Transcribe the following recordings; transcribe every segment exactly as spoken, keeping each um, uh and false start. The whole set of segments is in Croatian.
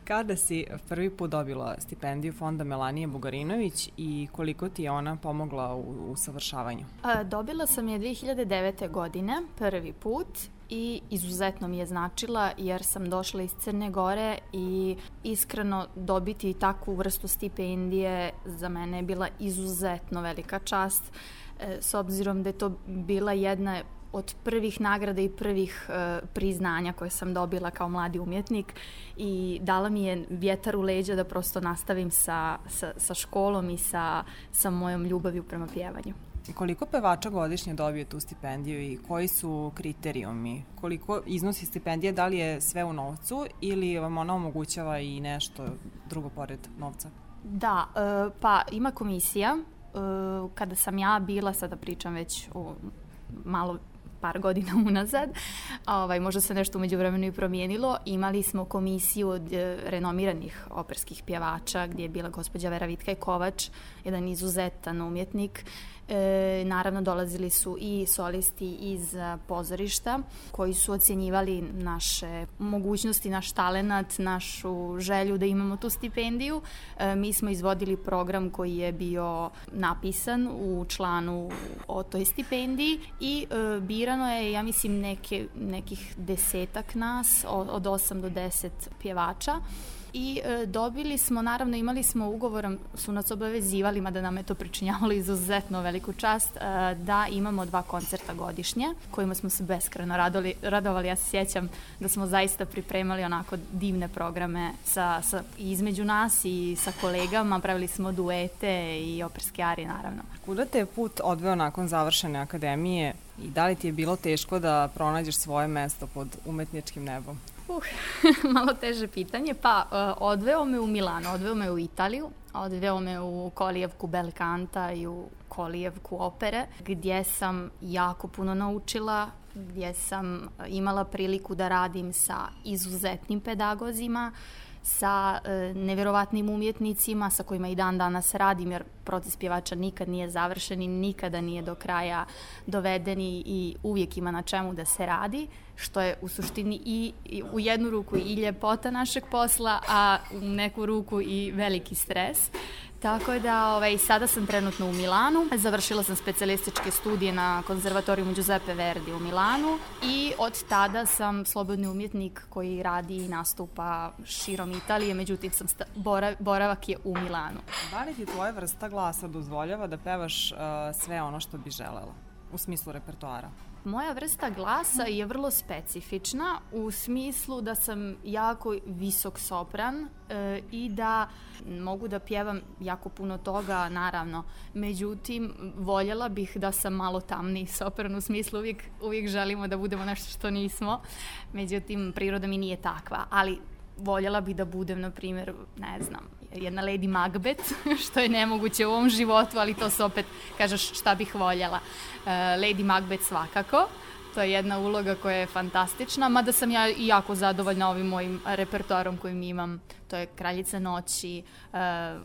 Kada si prvi put dobila stipendiju Fonda Melanije Bugarinović i koliko ti je ona pomogla u usavršavanju? Dobila sam je dve hiljade devete. godine, prvi put, i izuzetno mi je značila jer sam došla iz Crne Gore i iskreno dobiti takvu vrstu stipendije za mene je bila izuzetno velika čast, s obzirom da je to bila jedna od prvih nagrada i prvih e, priznanja koje sam dobila kao mladi umjetnik i dala mi je vjetar u leđa da prosto nastavim sa, sa, sa školom i sa, sa mojom ljubavlju prema pjevanju. Koliko pevača godišnje dobije tu stipendiju i koji su kriterijumi? Koliko iznosi stipendije, da li je sve u novcu ili vam ona omogućava i nešto drugo pored novca? Da, e, pa ima komisija. E, kada sam ja bila, sada pričam već o malo par godina unazad, ovaj, možda se nešto umeđu vremenu i promijenilo, imali smo komisiju od e, renomiranih operskih pjevača gdje je bila gospođa Vera Vitkaj Kovač, jedan izuzetan umjetnik. E, naravno dolazili su i solisti iz pozorišta koji su ocjenjivali naše mogućnosti, naš talenat, našu želju da imamo tu stipendiju. E, mi smo izvodili program koji je bio napisan u članu o toj stipendiji i e, birano je, ja mislim, neke, nekih desetak nas, od osam do deset pjevača. I e, dobili smo, naravno imali smo ugovorom, su nas obavezivali, mada nam je to pričinjavalo izuzetno veliku čast, e, da imamo dva koncerta godišnje, kojima smo se beskrajno radovali, radovali. Ja se sjećam da smo zaista pripremali onako divne programe sa, sa, između nas i sa kolegama, pravili smo duete i operske arije, naravno. Kuda te je put odveo nakon završene akademije i da li ti je bilo teško da pronađeš svoje mesto pod umetničkim nebom? Uh, malo teže pitanje. Pa, uh, odveo me u Milano, odveo me u Italiju, odveo me u kolijevku bel kanta i u kolijevku opere, gdje sam jako puno naučila, gdje sam imala priliku da radim sa izuzetnim pedagozima, sa e, nevjerovatnim umjetnicima sa kojima i dan danas radim, jer proces pjevača nikad nije završen i nikada nije do kraja doveden i uvijek ima na čemu da se radi, što je u suštini i, i u jednu ruku i ljepota našeg posla, a u neku ruku i veliki stres. Tako da ovaj, sada sam trenutno u Milanu, završila sam specijalističke studije na konzervatoriju Giuseppe Verdi u Milanu i od tada sam slobodni umjetnik koji radi i nastupa širom Italije, međutim sam sta, borav, boravak je u Milanu. Da li ti tvoja vrsta glasa dozvoljava da pevaš uh, sve ono što bi želela u smislu repertoara? Moja vrsta glasa je vrlo specifična u smislu da sam jako visok sopran e, i da mogu da pjevam jako puno toga, naravno. Međutim, voljela bih da sam malo tamniji sopran, u smislu uvijek, uvijek želimo da budemo nešto što nismo. Međutim, priroda mi nije takva, ali voljela bih da budem, na primjer, ne znam, jedna Lady Macbeth, što je nemoguće u ovom životu, ali to se opet kažeš šta bih voljela. Uh, Lady Macbeth svakako, to je jedna uloga koja je fantastična, mada sam ja i jako zadovoljna ovim mojim repertoarom kojim imam. To je Kraljica noći, uh,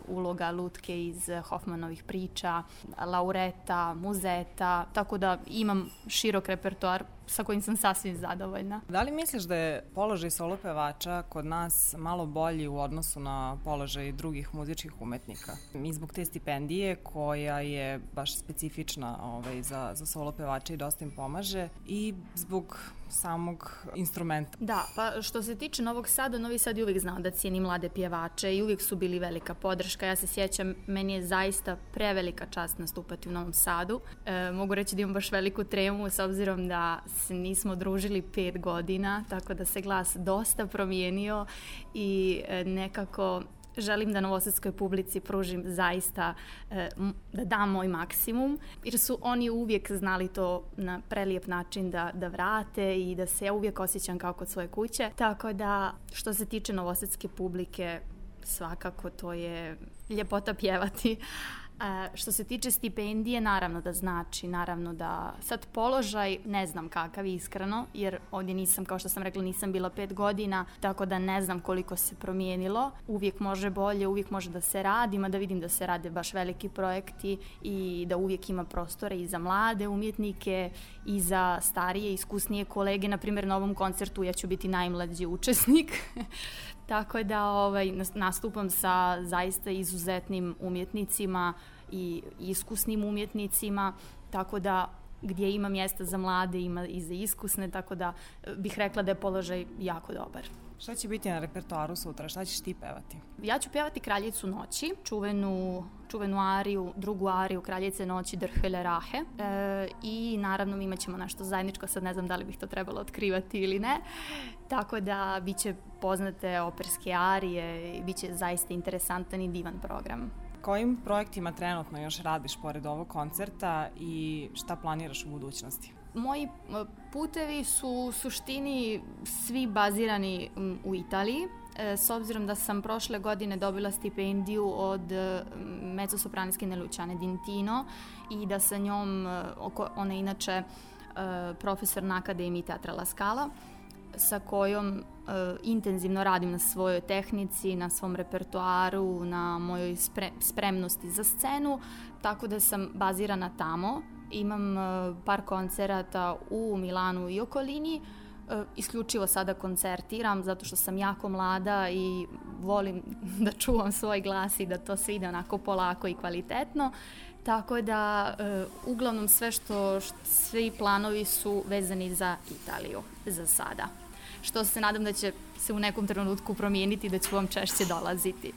uloga Lutke iz Hoffmanovih priča, Laureta, Muzeta, tako da imam širok repertoar sa kojim sam sasvim zadovoljna. Da li misliš da je položaj solo pevača kod nas malo bolji u odnosu na položaj drugih muzičkih umetnika? I zbog te stipendije koja je baš specifična ovaj, za, za solo pevača i dosta im pomaže i zbog samog instrumenta. Da, pa što se tiče Novog Sada, Novi Sad je uvijek znao da cijeni mlade pjevače i uvijek su bili velika podrška. Ja se sjećam, meni je zaista prevelika čast nastupati u Novom Sadu. E, mogu reći da imam baš veliku tremu s obzirom da se nismo družili pet godina, tako da se glas dosta promijenio i e, nekako želim da novosadskoj publici pružim zaista, e, da dam moj maksimum, jer su oni uvijek znali to na prelijep način da, da vrate i da se ja uvijek osjećam kao kod svoje kuće. Tako da, što se tiče novosadske publike, svakako to je ljepota pjevati. E, što se tiče stipendije, naravno da znači, naravno da sad položaj ne znam kakav iskreno, jer ovdje nisam, kao što sam rekla, nisam bila pet godina, tako da ne znam koliko se promijenilo. Uvijek može bolje, uvijek može da se radi, mada vidim da se rade baš veliki projekti i da uvijek ima prostora i za mlade umjetnike i za starije, iskusnije kolege. Na primjer, na ovom koncertu ja ću biti najmlađi učesnik. tako da ovaj, nastupam sa zaista izuzetnim umjetnicima i iskusnim umjetnicima, tako da gdje ima mjesta za mlade, ima i za iskusne, tako da bih rekla da je položaj jako dobar. Šta će biti na repertoaru sutra? Šta ćeš ti pevati? Ja ću pevati Kraljicu noći, čuvenu, čuvenu ariju, drugu ariju Kraljice noći Der Hölle Rache. E, I naravno imat ćemo nešto zajedničko, sad ne znam da li bih to trebalo otkrivati ili ne. Tako da bit će poznate operske arije i bit će zaista interesantan i divan program. Kojim projektima trenutno još radiš pored ovog koncerta i šta planiraš u budućnosti? Moji putevi su u suštini svi bazirani u Italiji, s obzirom da sam prošle godine dobila stipendiju od mezzosopranistkinje Luciane D'Intino i da sa njom, ona je inače profesor na Akademiji Teatra La Scala, sa kojom uh, intenzivno radim na svojoj tehnici, na svom repertoaru, na mojoj spre, spremnosti za scenu, tako da sam bazirana tamo. Imam uh, par koncerata u Milanu i okolini, uh, isključivo sada koncertiram zato što sam jako mlada i volim da čuvam svoj glas i da to sve ide onako polako i kvalitetno. Tako da uh, uglavnom sve što, što svi planovi su vezani za Italiju za sada. Što se nadam da će se u nekom trenutku promijeniti, da ću vam češće dolaziti.